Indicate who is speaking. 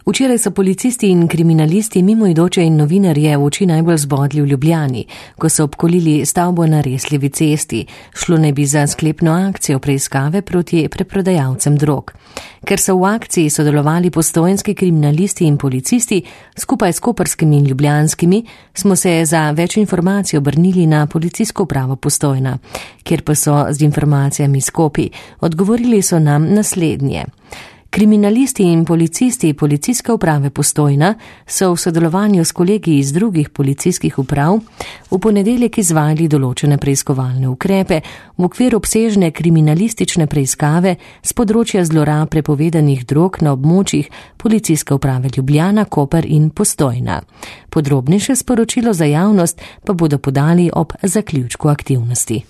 Speaker 1: Včeraj so policisti in kriminalisti mimoidoče in novinarje v oči najbolj zbodli v Ljubljani, ko so obkolili stavbo na Resljevi cesti. Šlo naj bi za sklepno akcijo preiskave proti preprodajalcem drog. Ker so v akciji sodelovali postojnski kriminalisti in policisti, skupaj s koprskimi in ljubljanskimi, smo se za več informacij obrnili na policijsko upravo Postojna, kjer pa so z informacijami s Kopij. Odgovorili so nam naslednje. Kriminalisti in policisti policijske uprave Postojna so v sodelovanju s kolegi iz drugih policijskih uprav v ponedeljek izvajali določene preiskovalne ukrepe v okviru obsežne kriminalistične preiskave z področja zlorab prepovedanih drog na območjih policijske uprave Ljubljana, Koper in Postojna. Podrobnejše sporočilo za javnost pa bodo podali ob zaključku aktivnosti.